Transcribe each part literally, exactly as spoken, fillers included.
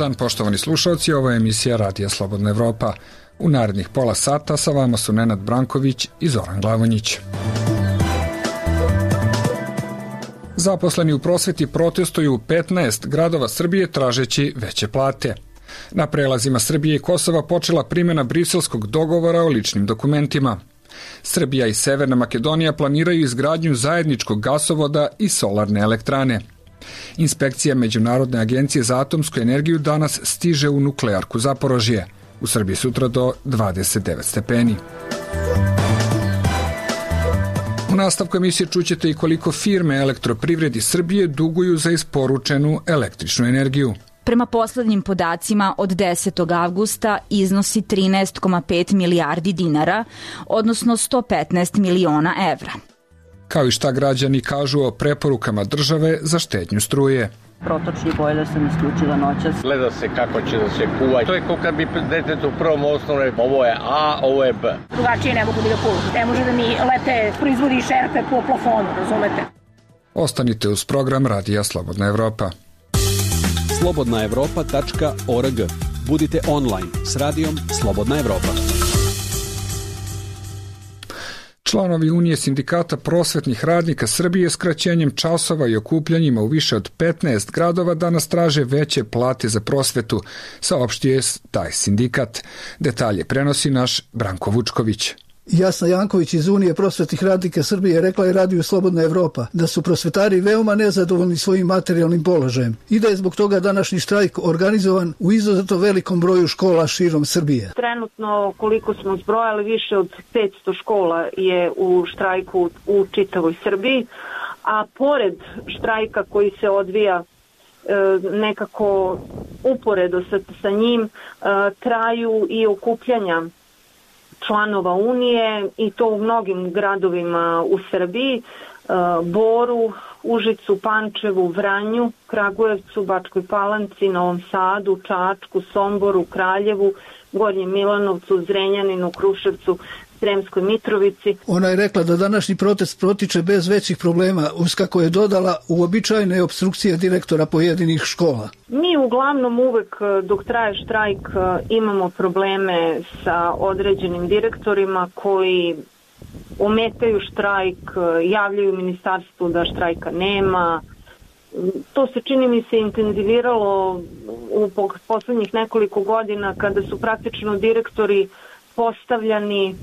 dan, poštovani slušalci, ovo je emisija Radija Slobodna Evropa. U narednih pola sata sa vama su Nenad Branković i Zoran Glavonjić. Zaposleni u prosveti protestuju u petnaest gradova Srbije tražeći veće plate. Na prelazima Srbije i Kosova počela primjena briselskog dogovora o ličnim dokumentima. Srbija i Severna Makedonija planiraju izgradnju zajedničkog gasovoda i solarne elektrane. Inspekcija Međunarodne agencije za atomsku energiju danas stiže u nuklearku Zaporožje. U Srbiji sutra do dvadeset devet stepeni. U nastavku emisije čućete i koliko firme Elektroprivredi Srbije duguju za isporučenu električnu energiju. Prema poslednjim podacima od desetog avgusta iznosi trinaest zarez pet milijardi dinara, odnosno sto petnaest miliona evra. Kao i šta građani kažu o preporukama države za štednju struje. Protočni bojler sam isključila noćas. Gleda se kako će da se kuva. To je kao kad bi detetu u prvom osnovne, ovo je A, ovo je B. Drugačije ne mogu da kuvam. Ne može da mi lete proizvodi šerpe po plafonu, razumete? Ostanite uz program Radija Slobodna Evropa. slobodna evropa tačka org. Budite online s Radijom Slobodna Evropa. Članovi Unije sindikata prosvetnih radnika Srbije skraćenjem časova i okupljanjima u više od petnaest gradova danas traže veće plate za prosvetu, saopštio je taj sindikat. Detalje prenosi naš Branko Vučković. Jasna Janković iz Unije prosvetnih radnika Srbije rekla je Radiju Slobodna Evropa da su prosvetari veoma nezadovoljni svojim materijalnim položajem i da je zbog toga današnji štrajk organizovan u izuzetno velikom broju škola širom Srbije. Trenutno, koliko smo zbrojali, više od petsto škola je u štrajku u čitavoj Srbiji, a pored štrajka koji se odvija nekako uporedo sa, sa njim, traju i okupljanja članova Unije i to u mnogim gradovima u Srbiji, Boru, Užicu, Pančevu, Vranju, Kragujevcu, Bačkoj Palanci, Novom Sadu, Čačku, Somboru, Kraljevu, Gornjem Milanovcu, Zrenjaninu, Kruševcu, Sremskoj Mitrovici. Ona je rekla da današnji protest protiče bez većih problema, uz kako je dodala uobičajene opstrukcije direktora pojedinih škola. Mi uglavnom uvek dok traje štrajk imamo probleme sa određenim direktorima koji ometaju štrajk, javljaju ministarstvu da štrajka nema. To se čini mi se intenziviralo u poslednjih nekoliko godina kada su praktično direktori postavljani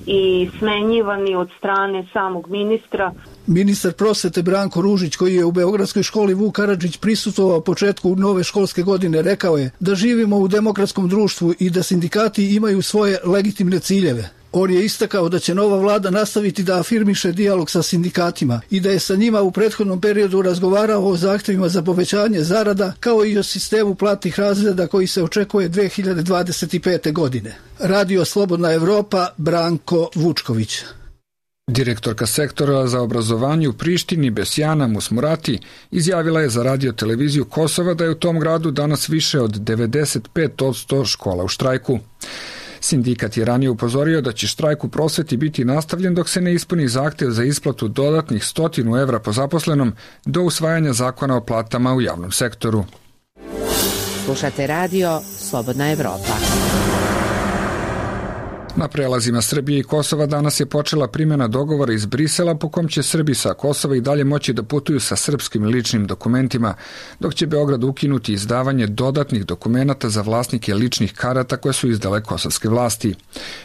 i smenjivani od strane samog ministra. Ministar prosvete Branko Ružić, koji je u Beogradskoj školi Vuk Karadžić prisutvovao početku nove školske godine, rekao je da živimo u demokratskom društvu i da sindikati imaju svoje legitimne ciljeve. On je istakao da će nova vlada nastaviti da afirmiše dijalog sa sindikatima i da je sa njima u prethodnom periodu razgovarao o zahtevima za povećanje zarada kao i o sistemu platnih razreda koji se očekuje dve hiljade dvadeset pete. godine. Radio Slobodna Evropa, Branko Vučković. Direktorka sektora za obrazovanje u Prištini Besjana Musmurati izjavila je za radio televiziju Kosova da je u tom gradu danas više od devedeset pet posto škola u štrajku. Sindikat je ranije upozorio da će štrajk u prosveti biti nastavljen dok se ne ispuni zahtev za isplatu dodatnih stotinu evra po zaposlenom do usvajanja zakona o platama u javnom sektoru. Slušate radio Slobodna Evropa. Na prelazima Srbije i Kosova danas je počela primjena dogovora iz Brisela po kom će Srbi sa Kosova i dalje moći da putuju sa srpskim ličnim dokumentima, dok će Beograd ukinuti izdavanje dodatnih dokumenata za vlasnike ličnih karata koje su izdale kosovske vlasti,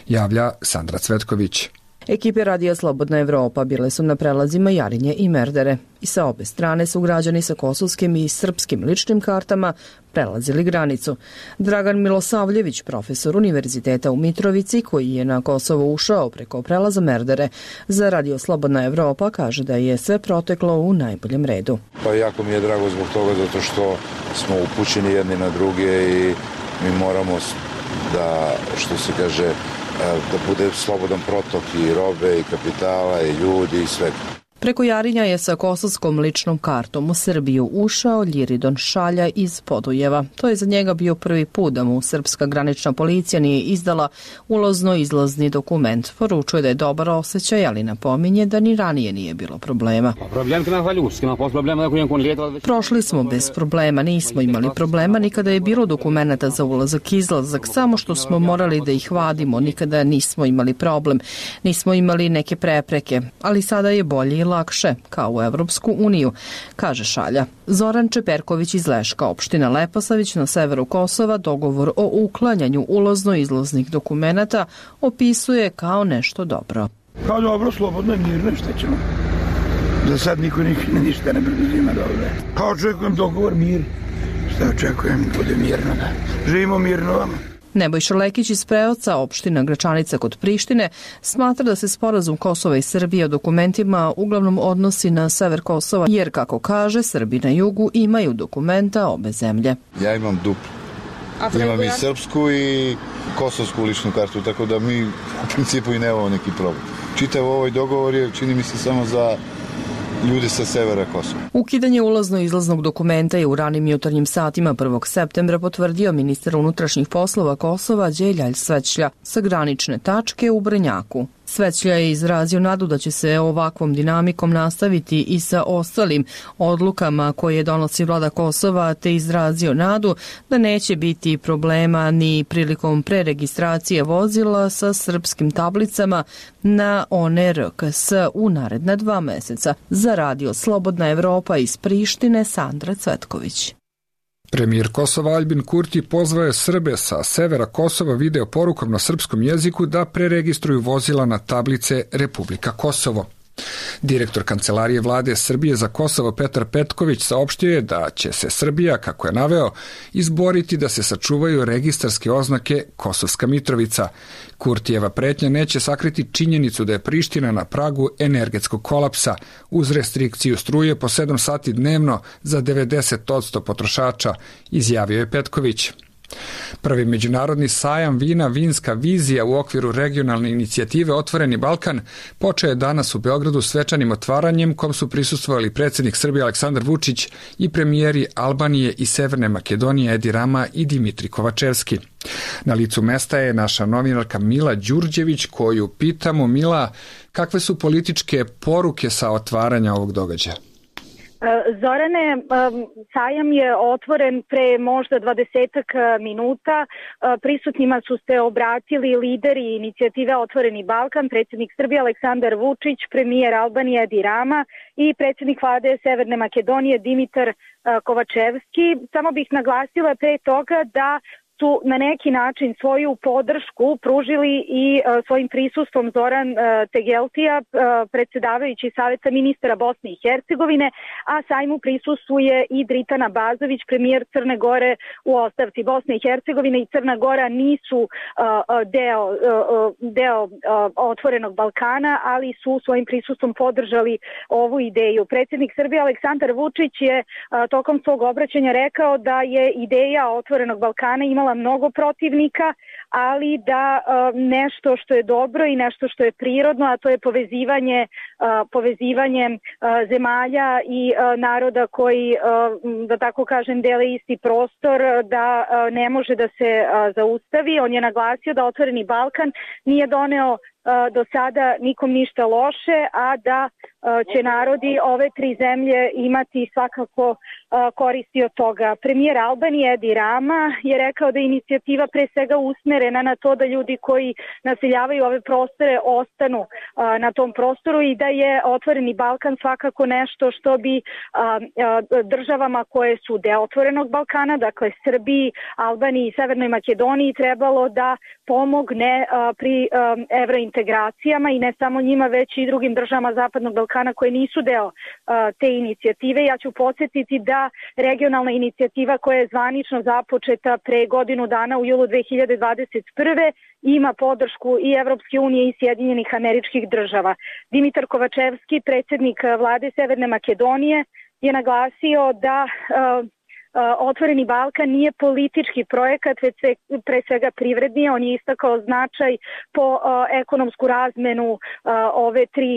javlja Sandra Cvetković. Ekipe Radija Slobodna Evropa bile su na prelazima Jarinje i Merdere i sa obe strane su građani sa kosovskim i srpskim ličnim kartama prelazili granicu. Dragan Milosavljević, profesor Univerziteta u Mitrovici, koji je na Kosovo ušao preko prelaza Merdere, za Radio Slobodna Evropa kaže da je sve proteklo u najboljem redu. Pa jako mi je drago zbog toga zato što smo upućeni jedni na druge i mi moramo da, što se kaže, da bude slobodan protok i robe i kapitala i ljudi i svega. Preko Jarinja je sa kosovskom ličnom kartom u Srbiju ušao Ljiridon Šalja iz Podujeva. To je za njega bio prvi put da mu srpska granična policija nije izdala ulazno-izlazni dokument. Poručuje da je dobar osjećaj, ali napominje da ni ranije nije bilo problema. Prošli smo bez problema, nismo imali problema, nikada je bilo dokumenta za ulazak-izlazak, samo što smo morali da ih vadimo, nikada nismo imali problem, nismo imali neke prepreke, ali sada je bolje i lakše, kao u Evropsku uniju, kaže Šalja. Zoran Čeperković iz Leška, opština Leposavić na severu Kosova, dogovor o uklanjanju ulazno-izlaznih dokumenata opisuje kao nešto dobro. Kao dobro, slobodno i mirno, šta ćemo? Za sad niko ništa ne preduzima dobro. Kao očekujem dogovor, mir. Šta očekujem, bude mirno, da. Živimo mirno vama. Nebojša Lekić iz Preoca, opština Gračanica kod Prištine, smatra da se sporazum Kosova i Srbije o dokumentima uglavnom odnosi na sever Kosova, jer, kako kaže, Srbi na jugu imaju dokumenta obe zemlje. Ja imam duplu. Imam i srpsku i kosovsku ličnu kartu, tako da mi u principu i nemamo neki problem. Čitav ovaj dogovor je, čini mi se, samo za ljude sa severa Kosova. Ukidanje ulazno-izlaznog dokumenta je u ranim jutarnjim satima prvog septembra potvrdio ministar unutrašnjih poslova Kosova Đeljalj Svećlja sa granične tačke u Brnjaku. Svećlja je izrazio nadu da će se ovakvom dinamikom nastaviti i sa ostalim odlukama koje donosi vlada Kosova, te izrazio nadu da neće biti problema ni prilikom preregistracije vozila sa srpskim tablicama na one R K S u naredna dva meseca. Za radio Slobodna Evropa iz Prištine, Sandra Cvetković. Premijer Kosova Aljbin Kurti pozvao je Srbe sa severa Kosova video porukom na srpskom jeziku da preregistruju vozila na tablice Republika Kosovo. Direktor Kancelarije vlade Srbije za Kosovo Petar Petković saopštio je da će se Srbija, kako je naveo, izboriti da se sačuvaju registarske oznake Kosovska Mitrovica. Kurtijeva pretnja neće sakriti činjenicu da je Priština na pragu energetskog kolapsa uz restrikciju struje po sedam sati dnevno za devedeset posto potrošača, izjavio je Petković. Prvi međunarodni sajam vina Vinska vizija u okviru regionalne inicijative Otvoreni Balkan počeo je danas u Beogradu svečanim otvaranjem kom su prisustvovali predsjednik Srbije Aleksandar Vučić i premijeri Albanije i Severne Makedonije Edi Rama i Dimitri Kovačevski. Na licu mesta je naša novinarka Mila Đurđević koju pitamo: Mila, kakve su političke poruke sa otvaranja ovog događaja? Zorane, sajam je otvoren pre možda dvadesetak minuta. Prisutnima su se obratili lideri inicijative Otvoreni Balkan, predsjednik Srbije Aleksandar Vučić, premijer Albanije Edi Rama i predsjednik vlade Severne Makedonije Dimitar Kovačevski. Samo bih naglasila pre toga da su na neki način svoju podršku pružili i uh, svojim prisustvom Zoran uh, Tegeltija, uh, predsjedavajući Saveta ministara Bosne i Hercegovine, a sajmu prisustvuje i Dritana Bazović, premijer Crne Gore u ostavci. Bosne i Hercegovine i Crna Gora nisu uh, deo, uh, deo uh, Otvorenog Balkana, ali su svojim prisustvom podržali ovu ideju. Predsjednik Srbije Aleksandar Vučić je uh, tokom svog obraćanja rekao da je ideja Otvorenog Balkana imala mnogo protivnika, ali da uh, nešto što je dobro i nešto što je prirodno, a to je povezivanje, uh, povezivanje uh, zemalja i uh, naroda koji, uh, da tako kažem, dele isti prostor, da uh, ne može da se uh, zaustavi. On je naglasio da Otvoreni Balkan nije doneo uh, do sada nikom ništa loše, a da će narodi ove tri zemlje imati svakako koristi od toga. Premijer Albanije Edi Rama je rekao da je inicijativa pre svega usmerena na to da ljudi koji naseljavaju ove prostore ostanu na tom prostoru i da je Otvoreni Balkan svakako nešto što bi državama koje su deo Otvorenog Balkana, dakle Srbiji, Albaniji i Severnoj Makedoniji, trebalo da pomogne pri evrointegracijama i ne samo njima, već i drugim državama Zapadnog Balkana koje nisu deo uh, te inicijative. Ja ću podsjetiti da regionalna inicijativa koja je zvanično započeta pre godinu dana u julu dve hiljade dvadeset prve ima podršku i Evropske unije i Sjedinjenih Američkih Država. Dimitar Kovačevski, predsjednik vlade Severne Makedonije, je naglasio da uh, Otvoreni Balkan nije politički projekat, već pre svega privredni. On je istakao značaj po ekonomsku razmenu ove tri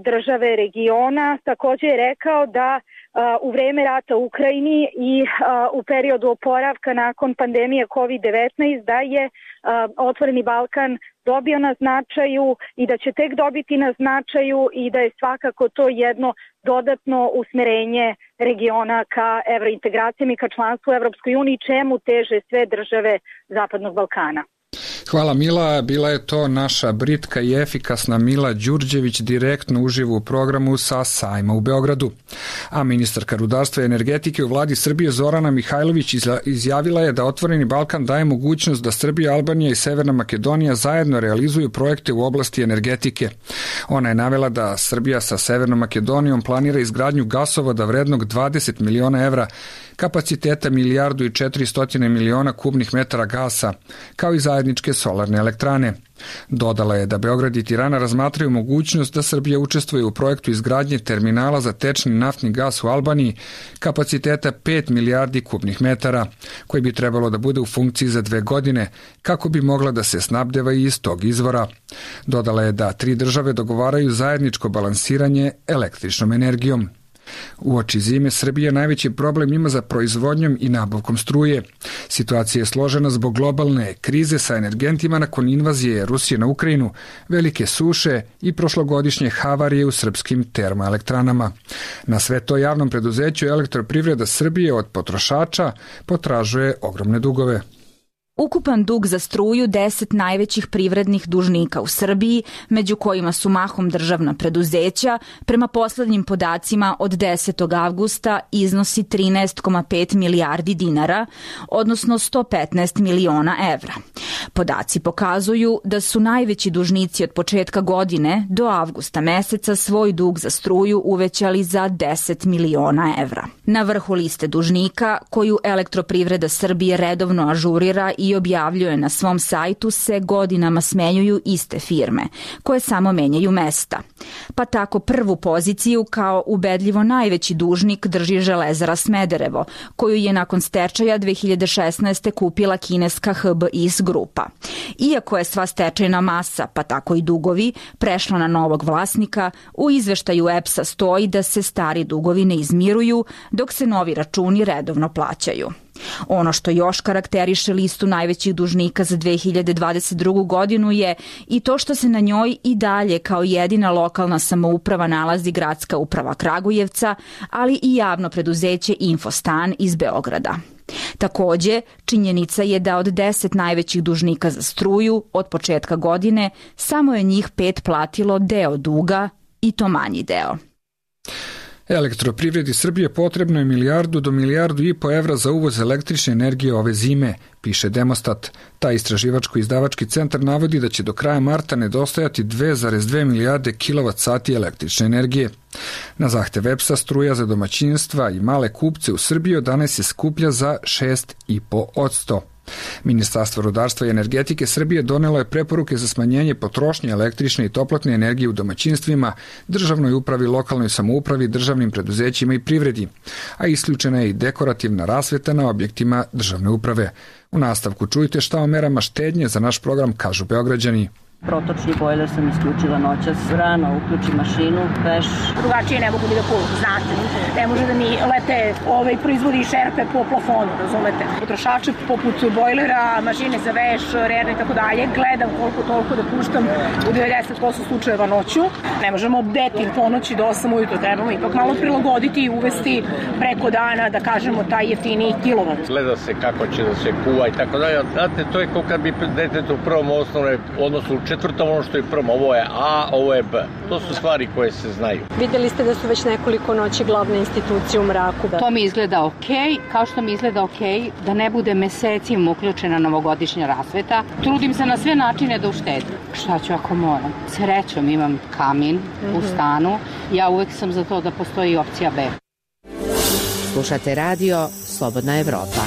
države regiona. Takođe je rekao da u vreme rata u Ukrajini i u periodu oporavka nakon pandemije kovid devetnaest da je Otvoreni Balkan dobio na značaju i da će tek dobiti na značaju i da je svakako to jedno dodatno usmerenje regiona ka evrointegracijama i ka članstvu u Evropskoj uniji, čemu teže sve države Zapadnog Balkana. Hvala Mila, bila je to naša britka i efikasna Mila Đurđević direktno uživo u programu sa sajma u Beogradu. A ministarka rudarstva i energetike u vladi Srbije Zorana Mihajlović izjavila je da Otvoreni Balkan daje mogućnost da Srbija, Albanija i Severna Makedonija zajedno realizuju projekte u oblasti energetike. Ona je navela da Srbija sa Severnom Makedonijom planira izgradnju gasovoda vrednog dvadeset miliona evra, kapaciteta milijardu i četiristo miliona kubnih metara gasa, kao i zajedničke solarne elektrane. Dodala je da Beograd i Tirana razmatraju mogućnost da Srbija učestvuje u projektu izgradnje terminala za tečni naftni gas u Albaniji kapaciteta pet milijardi kubnih metara, koji bi trebalo da bude u funkciji za dve godine, kako bi mogla da se snabdeva i iz tog izvora. Dodala je da tri države dogovaraju zajedničko balansiranje električnom energijom. Uoči zime Srbija najveći problem ima za proizvodnjom i nabavkom struje. Situacija je složena zbog globalne krize sa energentima nakon invazije Rusije na Ukrajinu, velike suše i prošlogodišnje havarije u srpskim termoelektranama. Na sve to javnom preduzeću Elektroprivreda Srbije od potrošača potražuje ogromne dugove. Ukupan dug za struju deset najvećih privrednih dužnika u Srbiji, među kojima su mahom državna preduzeća, prema poslednjim podacima od desetog avgusta iznosi trinaest zarez pet milijardi dinara, odnosno sto petnaest miliona evra. Podaci pokazuju da su najveći dužnici od početka godine do avgusta meseca svoj dug za struju uvećali za deset miliona evra. Na vrhu liste dužnika, koju Elektroprivreda Srbije redovno ažurira i i objavljuje na svom sajtu, se godinama smenjuju iste firme, koje samo menjaju mesta. Pa tako prvu poziciju kao ubedljivo najveći dužnik drži Železara Smederevo, koju je nakon stečaja dve hiljade šesnaeste. kupila kineska H B I S grupa. Iako je sva stečajna masa, pa tako i dugovi, prešla na novog vlasnika, u izveštaju E P S-a stoji da se stari dugovi ne izmiruju, dok se novi računi redovno plaćaju. Ono što još karakteriše listu najvećih dužnika za dve hiljade dvadeset drugu. godinu je i to što se na njoj i dalje kao jedina lokalna samouprava nalazi Gradska uprava Kragujevca, ali i javno preduzeće Infostan iz Beograda. Takođe, činjenica je da od deset najvećih dužnika za struju od početka godine samo je njih pet platilo deo duga, i to manji deo. Elektroprivredi Srbije potrebno je milijardu do milijardu i po evra za uvoz električne energije ove zime, piše Demostat. Taj istraživačko-izdavački centar navodi da će do kraja marta nedostajati dve zarez dve milijarde kilovat sati električne energije. Na zahtev E P S-a struja za domaćinstva i male kupce u Srbiji od danas se skuplja za šest zarez pet posto. Ministarstvo rudarstva i energetike Srbije donelo je preporuke za smanjenje potrošnje električne i toplotne energije u domaćinstvima, državnoj upravi, lokalnoj samoupravi, državnim preduzećima i privredi, a isključena je i dekorativna rasveta na objektima državne uprave. U nastavku čujte šta o merama štednje za naš program kažu Beograđani. Protočni bojler sam isključila noćas, rano uključim mašinu, veš. Drugačije ne mogu ni da kuvam, znate. Ne može da mi lete ovaj, proizvodi šerpe po plafonu, razumete. Potrošače poput bojlera, mašine za veš, rerne i tako dalje, gledam koliko toliko da puštam u devedeset posto slučajeva noću. Ne možemo obdeti ponoći do osam ujutro, trebamo ipak malo prilagoditi i uvesti preko dana, da kažemo, taj jeftiniji kilovat. Gleda se kako će da se kuva i tako dalje. Znate, to je kao kad bi detetu u prvom osnovne, odnosno četvrtom ono što je prvo, ovo je A, ovo je B. To su stvari koje se znaju. Videli ste da su već nekoliko noći glavne institucije u mraku. Da. To mi izgleda okej, kao što mi izgleda okej da ne bude mesecima uključena novogodišnja rasveta. Trudim se na sve načine da uštedim. Šta ću ako moram? Srećom imam kamin mm-hmm. u stanu. Ja uvek sam za to da postoji opcija B. Slušate radio Slobodna Evropa.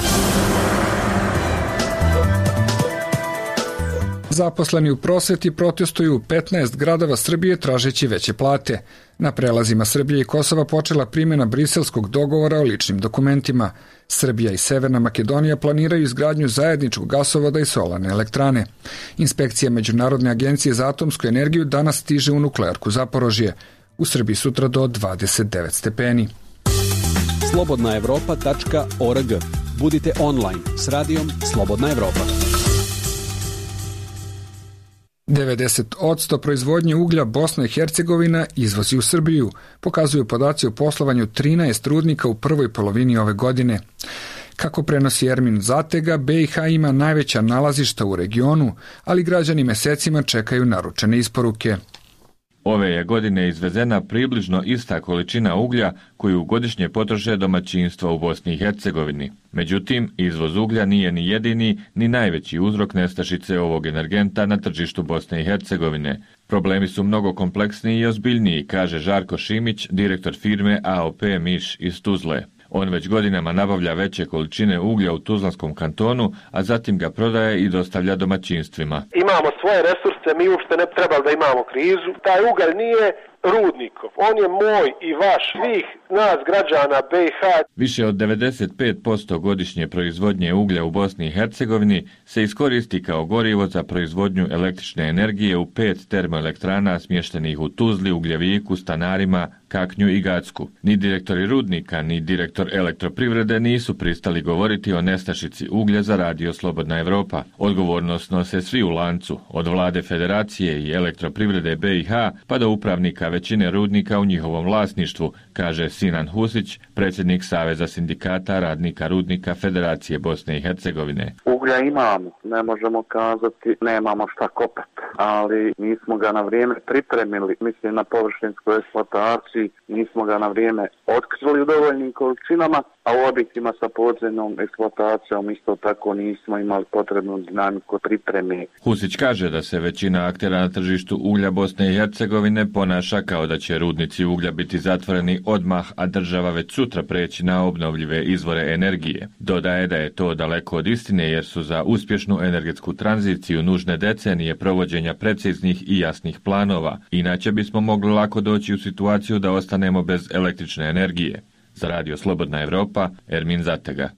Zaposleni u prosveti protestuju u petnaest gradova Srbije tražeći veće plate. Na prelazima Srbije i Kosova počela primjena briselskog dogovora o ličnim dokumentima. Srbija i Severna Makedonija planiraju izgradnju zajedničkog gasovoda i solarne elektrane. Inspekcija Međunarodne agencije za atomsku energiju danas stiže u nuklearku Zaporožje. U Srbiji sutra do dvadeset devet stepeni. slobodna evropa tačka org. Budite online s radijom Slobodna Evropa. devedeset posto proizvodnje uglja Bosna i Hercegovina izvozi u Srbiju, pokazuju podaci o poslovanju trinaest rudnika u prvoj polovini ove godine. Kako prenosi Ermin Zatega, be i ha ima najveća nalazišta u regionu, ali građani mesecima čekaju naručene isporuke. Ove je godine izvezena približno ista količina uglja koju godišnje potroše domaćinstva u Bosni i Hercegovini. Međutim, izvoz uglja nije ni jedini ni najveći uzrok nestašice ovog energenta na tržištu Bosne i Hercegovine. Problemi su mnogo kompleksniji i ozbiljniji, kaže Žarko Šimić, direktor firme a o pe Miš iz Tuzle. On već godinama nabavlja veće količine uglja u Tuzlanskom kantonu, a zatim ga prodaje i dostavlja domaćinstvima. Imamo svoje resurse, mi uopšte ne trebali da imamo krizu. Taj ugalj nije rudnikov, on je moj i vaš, svih nas građana be i ha. Više od devedeset pet posto godišnje proizvodnje uglja u Bosni i Hercegovini se iskoristi kao gorivo za proizvodnju električne energije u pet termoelektrana smještenih u Tuzli, Ugljeviku, Stanarima, Kaknju i Gacku. Ni direktori rudnika, ni direktor elektroprivrede nisu pristali govoriti o nestašici uglja za radio Slobodna Evropa. Odgovornost nose svi u lancu, od vlade federacije i elektroprivrede be i ha pa do upravnika većine rudnika u njihovom vlasništvu, kaže Sinan Husić, predsjednik Saveza sindikata radnika rudnika Federacije Bosne i Hercegovine. Uglja imamo, ne možemo kazati nemamo šta kopati, ali nismo ga na vrijeme pripremili, mislim na površinsku eksploataciju, nismo ga na vrijeme otkrili u dovoljnim količinama, a u objektima sa podzemnom eksploatacijom isto tako nismo imali potrebnu dinamiku pripreme. Husić kaže da se većina aktera na tržištu uglja Bosne i Hercegovine ponaša kao da će rudnici uglja biti zatvoreni odmah, a država već sutra preći na obnovljive izvore energije. Dodaje da je to daleko od istine jer su za uspješnu energetsku tranziciju nužne decenije provođenja preciznih i jasnih planova, inače bismo mogli lako doći u situaciju da ostanemo bez električne energije. Za radio Slobodna Evropa, Ermin Zatega.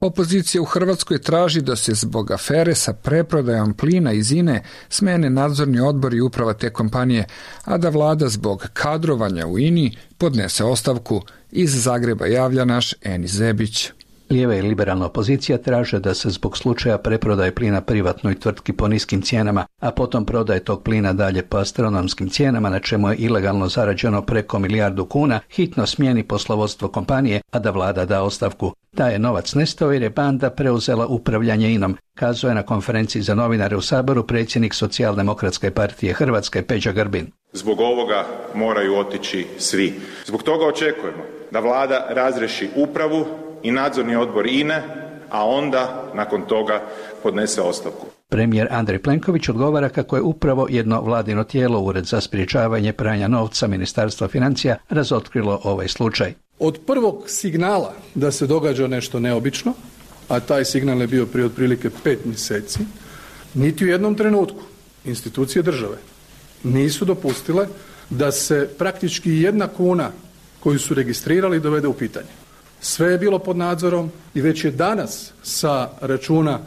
Opozicija u Hrvatskoj traži da se zbog afere sa preprodajom plina iz I N E smene nadzorni odbor i uprava te kompanije, a da vlada zbog kadrovanja u I N I podnese ostavku. Iz Zagreba javlja naš Enis Zebić. Lijeva i liberalna opozicija traže da se zbog slučaja preprodaje plina privatnoj tvrtki po niskim cijenama, a potom prodaje tog plina dalje po astronomskim cijenama, na čemu je ilegalno zarađeno preko milijardu kuna, hitno smijeni poslovodstvo kompanije, a da vlada da ostavku. Da je novac nestao jer je banda preuzela upravljanje I N om, kazao je na konferenciji za novinare u Saboru predsjednik Socijaldemokratske partije Hrvatske Peđa Grbin. Zbog ovoga moraju otići svi. Zbog toga očekujemo da vlada razriješi upravu i nadzorni odbor I N E, a onda nakon toga podnese ostavku. Premijer Andrej Plenković odgovara kako je upravo jedno vladino tijelo, Ured za sprječavanje pranja novca Ministarstva financija, razotkrilo ovaj slučaj. Od prvog signala da se događa nešto neobično, a taj signal je bio prije otprilike pet mjeseci, niti u jednom trenutku institucije države nisu dopustile da se praktički jedna kuna koju su registrirali dovede u pitanje. Sve je bilo pod nadzorom i već je danas sa računa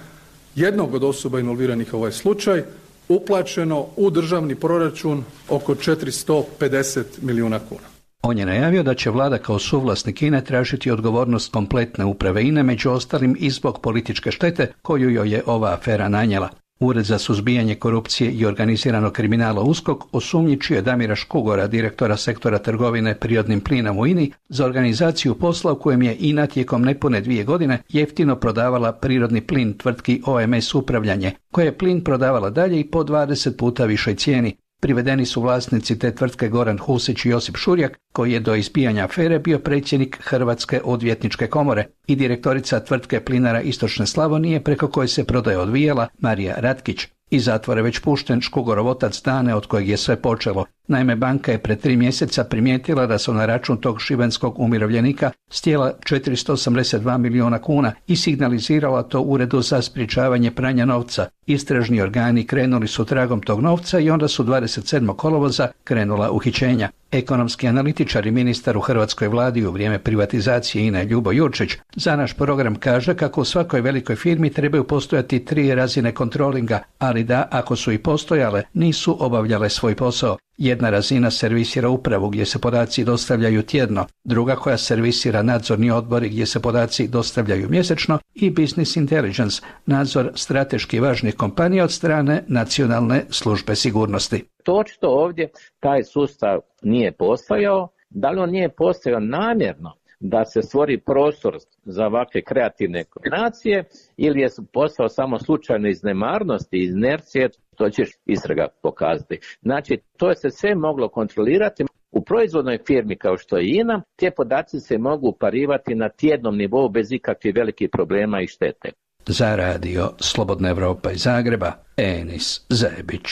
jednog od osoba involviranih u ovaj slučaj uplaćeno u državni proračun oko četiristo pedeset milijuna kuna. On je najavio da će vlada kao suvlasnik I N E tražiti odgovornost kompletne uprave I N E, među ostalim i zbog političke štete koju joj je ova afera nanijela. Ured za suzbijanje korupcije i organiziranog kriminala USKOK osumnjičio je Damira Škugora, direktora sektora trgovine prirodnim plinom u I N I, za organizaciju posla u kojem je I N A tijekom nepune dvije godine jeftino prodavala prirodni plin tvrtki O M S Upravljanje, koja je plin prodavala dalje i po dvadeset puta višoj cijeni. Privedeni su vlasnici te tvrtke Goran Husić i Josip Šurjak, koji je do izbijanja afere bio predsjednik Hrvatske odvjetničke komore, i direktorica tvrtke Plinara Istočne Slavonije, preko koje se prodaja odvijala, Marija Ratkić. Iz zatvora već pušten Škugorov otac Dane, od kojeg je sve počelo. Naime, banka je pred tri mjeseca primijetila da su na račun tog šibenskog umirovljenika stjela četiristo osamdeset dva milijuna kuna i signalizirala to Uredu za sprječavanje pranja novca. Istražni organi krenuli su tragom tog novca i onda su dvadeset sedmog kolovoza krenula uhićenja. Ekonomski analitičar i ministar u hrvatskoj vladi u vrijeme privatizacije INA-e Ljubo Jurčić za naš program kaže kako u svakoj velikoj firmi trebaju postojati tri razine kontrolinga, ali da, ako su i postojale, nisu obavljale svoj posao. Jedna razina servisira upravu gdje se podaci dostavljaju tjedno, druga koja servisira nadzorni odbori gdje se podaci dostavljaju mjesečno i business intelligence, nadzor strateški važnih kompanija od strane nacionalne službe sigurnosti. To očito ovdje taj sustav nije postojao. Da li on nije postojao namjerno da se stvori prostor za ovakve kreativne kombinacije ili je postao samo slučajno iz nemarnosti, iz inercije, to će istraga pokazati. Znači, to je se sve moglo kontrolirati. U proizvodnoj firmi kao što je INA, te podaci se mogu uparivati na tjednom nivou bez ikakvih velikih problema i štete. Za radio Slobodna Evropa iz Zagreba, Enis Zebić.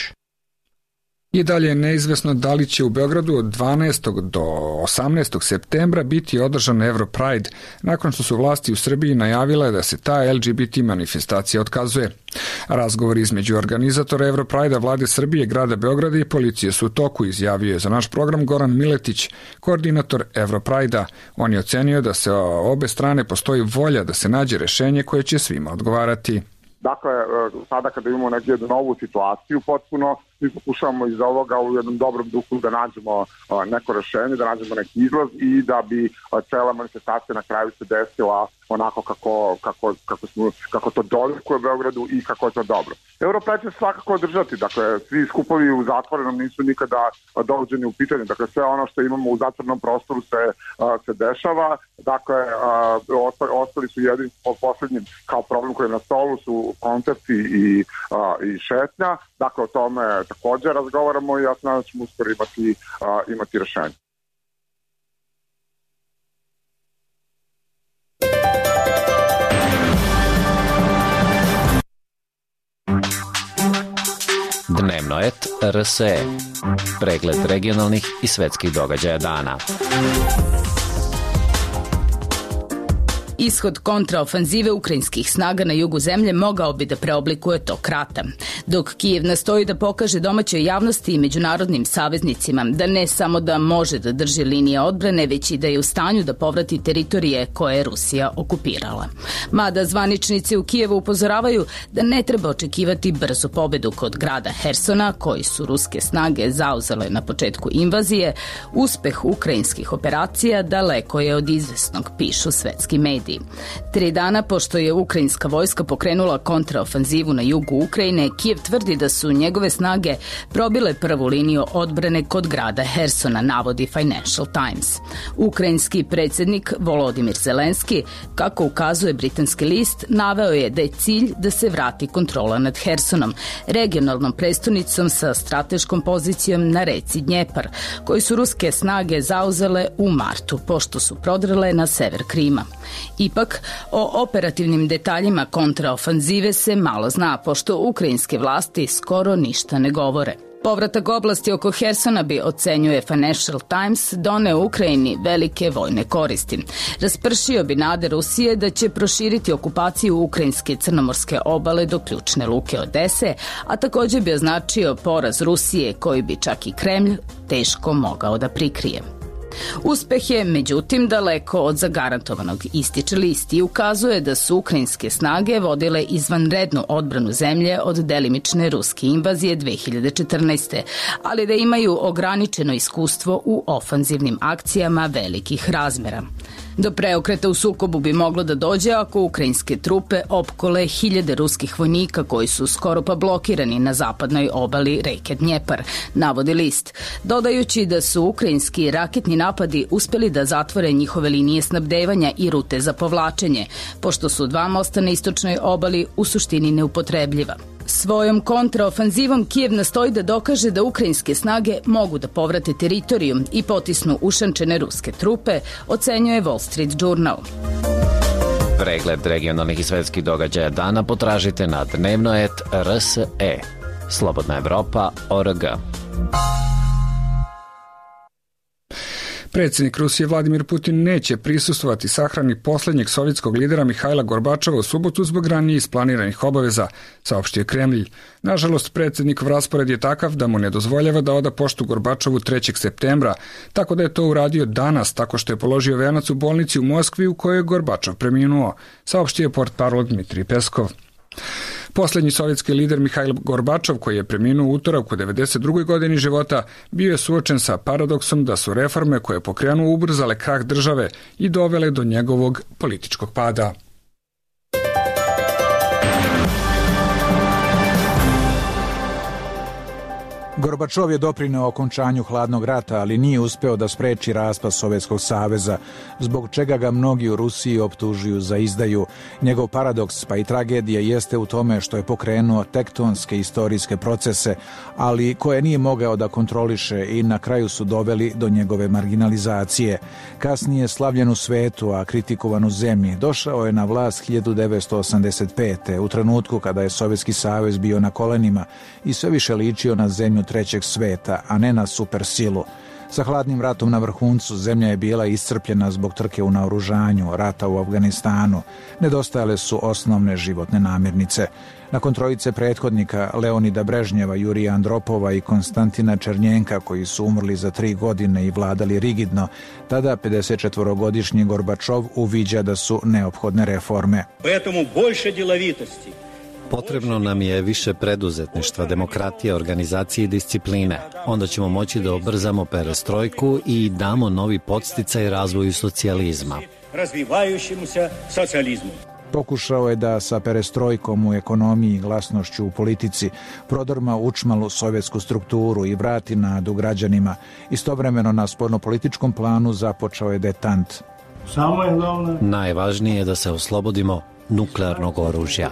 I dalje je neizvesno da li će u Beogradu od dvanaestog do osamnaestog septembra biti održan Europride, nakon što su vlasti u Srbiji najavile da se ta L G B T manifestacija otkazuje. Razgovor između organizatora Europride-a vlade Srbije, grada Beograda i policije su u toku, izjavio je za naš program Goran Miletić, koordinator Europride-a. On je ocenio da se obe strane postoji volja da se nađe rešenje koje će svima odgovarati. Dakle, sada kada imamo neku novu situaciju potpuno, mi pokušavamo iz ovoga u jednom dobrom duhu da nađemo neko rešenje, da nađemo neki izlaz i da bi cela manifestacija na kraju se desila onako kako, kako, kako, smo, kako to dolikuje Beogradu i kako je to dobro. Europride će svakako održati, dakle svi skupovi u zatvorenom nisu nikada dovođeni u pitanje, dakle sve ono što imamo u zatvorenom prostoru se, se dešava, dakle ostali su jedini poslednji kao problem koji je na stolu su koncerti i, i šetnja, dakle o tome također razgovaramo i ja znam da ćemo uskoro imati, imati rešenje. Dnevno et R S E. Pregled regionalnih i svetskih događaja dana. Ishod kontraofanzive ukrajinskih snaga na jugu zemlje mogao bi da preoblikuje tok rata. Dok Kijev nastoji da pokaže domaćoj javnosti i međunarodnim saveznicima da ne samo da može da drži linije odbrane, već i da je u stanju da povrati teritorije koje je Rusija okupirala. Mada zvaničnici u Kijevu upozoravaju da ne treba očekivati brzu pobedu kod grada Hersona, koji su ruske snage zauzele na početku invazije, uspeh ukrajinskih operacija daleko je od izvesnog, pišu svetski mediji. Tri dana pošto je ukrajinska vojska pokrenula kontraofanzivu na jugu Ukrajine, Kijev tvrdi da su njegove snage probile prvu liniju odbrane kod grada Hersona, navodi Financial Times. Ukrajinski predsjednik Volodimir Zelenski, kako ukazuje britanski list, naveo je da je cilj da se vrati kontrola nad Hersonom, regionalnom prestonicom sa strateškom pozicijom na reci Dnjepar, koju su ruske snage zauzele u martu, pošto su prodrle na sever Krima. Ipak, o operativnim detaljima kontraofanzive se malo zna, pošto ukrajinske vlasti skoro ništa ne govore. Povratak oblasti oko Hersona bi, ocenjuje Financial Times, doneo Ukrajini velike vojne koristi. Raspršio bi nade Rusije da će proširiti okupaciju ukrajinske crnomorske obale do ključne luke Odese, a također bi označio poraz Rusije koji bi čak i Kremlj teško mogao da prikrije. Uspeh je, međutim, daleko od zagarantovanog, ističe list i ukazuje da su ukrajinske snage vodile izvanrednu odbranu zemlje od delimične ruske invazije dve hiljade četrnaeste. ali da imaju ograničeno iskustvo u ofanzivnim akcijama velikih razmera. Do preokreta u sukobu bi moglo da dođe ako ukrajinske trupe opkole hiljade ruskih vojnika koji su skoro pa blokirani na zapadnoj obali reke Dnjepar, navodi list, dodajući da su ukrajinski raketni napadi uspjeli da zatvore njihove linije snabdevanja i rute za povlačenje, pošto su dva mosta na istočnoj obali u suštini neupotrebljiva. Svojom kontraofanzivom Kijev nastoji da dokaže da ukrajinske snage mogu da povrate teritoriju i potisnu ušančene ruske trupe, ocenjuje Wall Street Journal. Pregled regionalnih i svetskih događaja dana potražite na dnevno et R S E. Slobodna Evropa, O R G. Predsjednik Rusije Vladimir Putin neće prisustvovati sahrani posljednjeg sovjetskog lidera Mihajla Gorbačova u subotu zbog ranije isplaniranih obaveza, saopštio Kremlj. Nažalost, predsjednikov raspored je takav da mu ne dozvoljava da oda poštu Gorbačovu trećeg septembra, tako da je to uradio danas, tako što je položio venac u bolnici u Moskvi u kojoj je Gorbačov preminuo, saopštio portparol Dmitrij Peskov. Posljednji sovjetski lider Mihajl Gorbačov, koji je preminuo u utorak u devedeset drugoj godini života, bio je suočen sa paradoksom da su reforme koje je pokrenuo ubrzale krah države i dovele do njegovog političkog pada. Gorbačov je doprineo okončanju hladnog rata, ali nije uspeo da spreči raspad Sovjetskog saveza, zbog čega ga mnogi u Rusiji optužuju za izdaju. Njegov paradoks, pa i tragedija, jeste u tome što je pokrenuo tektonske istorijske procese, ali koje nije mogao da kontroliše i na kraju su doveli do njegove marginalizacije. Kasnije slavljen u svetu, a kritikovan u zemlji, došao je na vlast hiljadu devetsto osamdeset pete. u trenutku kada je Sovjetski savez bio na kolenima i sve više ličio na zemlju trećeg sveta, a ne na supersilu. Sa hladnim ratom na vrhuncu zemlja je bila iscrpljena zbog trke u naoružanju, rata u Afganistanu. Nedostajale su osnovne životne namirnice. Nakon trojice prethodnika Leonida Brežnjeva, Jurija Andropova i Konstantina Černjenka, koji su umrli za tri godine i vladali rigidno, tada pedesetčetvorogodišnji Gorbačov uviđa da su neophodne reforme. Поэтому больше деловитости. Potrebno nam je više preduzetništva, demokratije, organizacije i discipline. Onda ćemo moći da obrzamo perestrojku i damo novi podsticaj razvoju socijalizma. Razvivajućemuся socijalizmu. Pokušao je da sa perestrojkom u ekonomiji i glasnošću u politici prodrma učmalu sovjetsku strukturu i vrati nadu građanima. Istovremeno na spoljnopolitičkom planu započeo je detant. Najvažnije je da se oslobodimo nuklearnog oružja.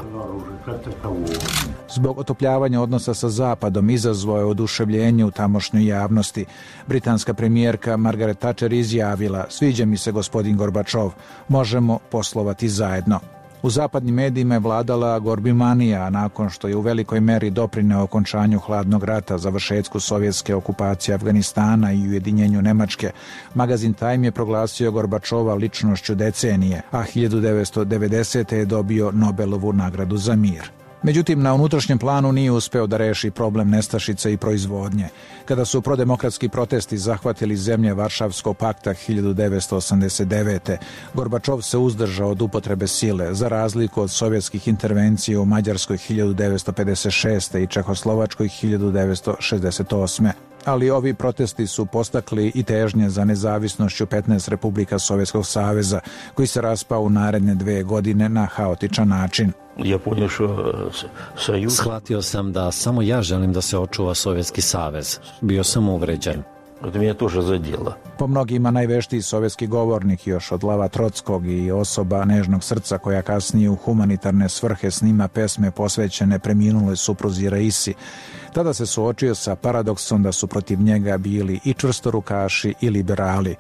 Zbog otopljavanja odnosa sa Zapadom izazvao je oduševljenje u tamošnjoj javnosti. Britanska premijerka Margaret Thatcher izjavila: "Sviđa mi se gospodin Gorbačov, možemo poslovati zajedno." U zapadnim medijima je vladala gorbimanija, a nakon što je u velikoj meri doprineo okončanju hladnog rata, završetku sovjetske okupacije Afganistana i ujedinjenju Nemačke, magazin Time je proglasio Gorbačova ličnošću decenije, a hiljadu devetsto devedesete. je dobio Nobelovu nagradu za mir. Međutim, na unutrašnjem planu nije uspeo da reši problem nestašice i proizvodnje. Kada su prodemokratski protesti zahvatili zemlje Varšavskog pakta hiljadu devetsto osamdeset devete. Gorbačov se uzdržao od upotrebe sile, za razliku od sovjetskih intervencija u Mađarskoj hiljadu devetsto pedeset šeste. i Čehoslovačkoj hiljadu devetsto šezdeset osme. Ali ovi protesti su postakli i težnje za nezavisnošću petnaest republika Sovjetskog saveza, koji se raspao u naredne dve godine na haotičan način. Shvatio sam da samo ja želim da se očuva Sovjetski savez. Bio sam uvređen. Po mnogima najveštiji sovjetski govornik još od Lava Trotskog i osoba nežnog srca koja kasnije u humanitarne svrhe snima pesme posvećene preminuloj supruzi Raisi. Tada se suočio sa paradoksom da su protiv njega bili i čvrstorukaši i liberali.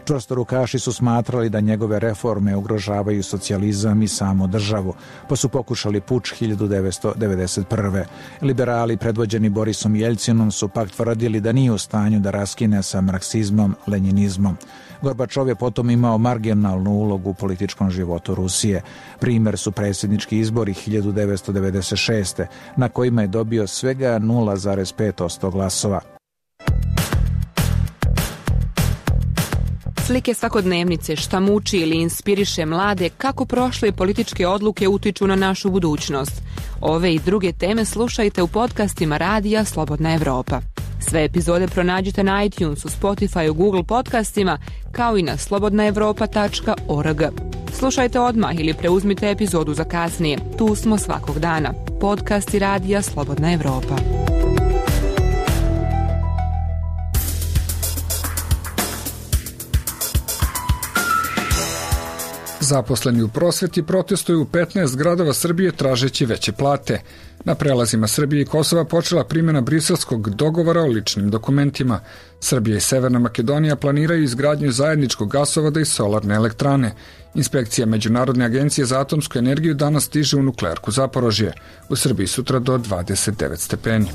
Čvrstorukaši su smatrali da njegove reforme ugrožavaju socijalizam i samu državu, pa su pokušali puč hiljadu devetsto devedeset prve. Liberali predvođeni Borisom Jeljcinom su pak tvrdili da nije u stanju da raskine sa marksizmom, lenjinizmom. Gorbačov je potom imao marginalnu ulogu u političkom životu Rusije. Primer su predsjednički izbori hiljadu devetsto devedeset šeste. na kojima je dobio svega nula zarez pet posto glasova. Slike svakodnevnice, šta muči ili inspiriše mlade, kako prošle političke odluke utiču na našu budućnost. Ove i druge teme slušajte u podcastima Radija Slobodna Evropa. Sve epizode pronađite na iTunesu, Spotifyu, Google podcastima, kao i na slobodna evropa tačka org. Slušajte odmah ili preuzmite epizodu za kasnije. Tu smo svakog dana. Podcasti Radija Slobodna Evropa. Zaposleni u prosveti protestuju u petnaest gradova Srbije tražeći veće plate. Na prelazima Srbije i Kosova počela primjena briselskog dogovora o ličnim dokumentima. Srbija i Severna Makedonija planiraju izgradnju zajedničkog gasovoda i solarne elektrane. Inspekcija Međunarodne agencije za atomsku energiju danas stiže u nuklearku Zaporožje. U Srbiji sutra do dvadeset devet stepeni.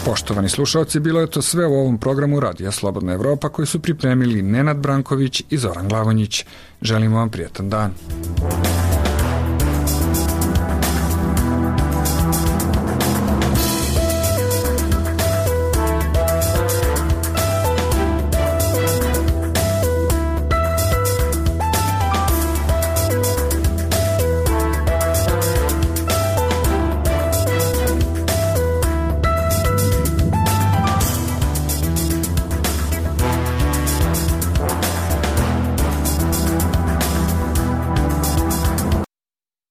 Poštovani slušalci, bilo je to sve u ovom programu Radija Slobodna Evropa koji su pripremili Nenad Branković i Zoran Glavonjić. Želimo vam prijatan dan.